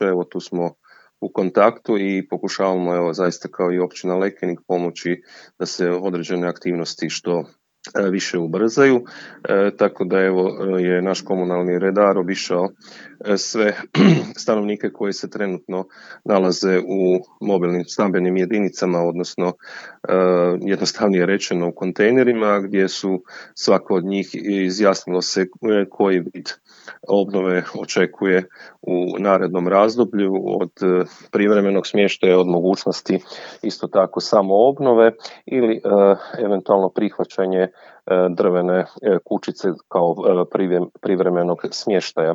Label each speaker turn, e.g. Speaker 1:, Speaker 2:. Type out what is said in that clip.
Speaker 1: evo tu smo u kontaktu i pokušavamo evo zaista kao i općina Lekenik pomoći da se određene aktivnosti što više ubrzaju, tako da evo je naš komunalni redar obišao sve stanovnike koji se trenutno nalaze u mobilnim stambenim jedinicama, odnosno jednostavnije rečeno u kontejnerima, gdje su svako od njih izjasnilo se koji vid obnove očekuje u narednom razdoblju, od privremenog smještaja, od mogućnosti isto tako samoobnove ili eventualno prihvaćanje drvene kućice kao privremenog smještaja.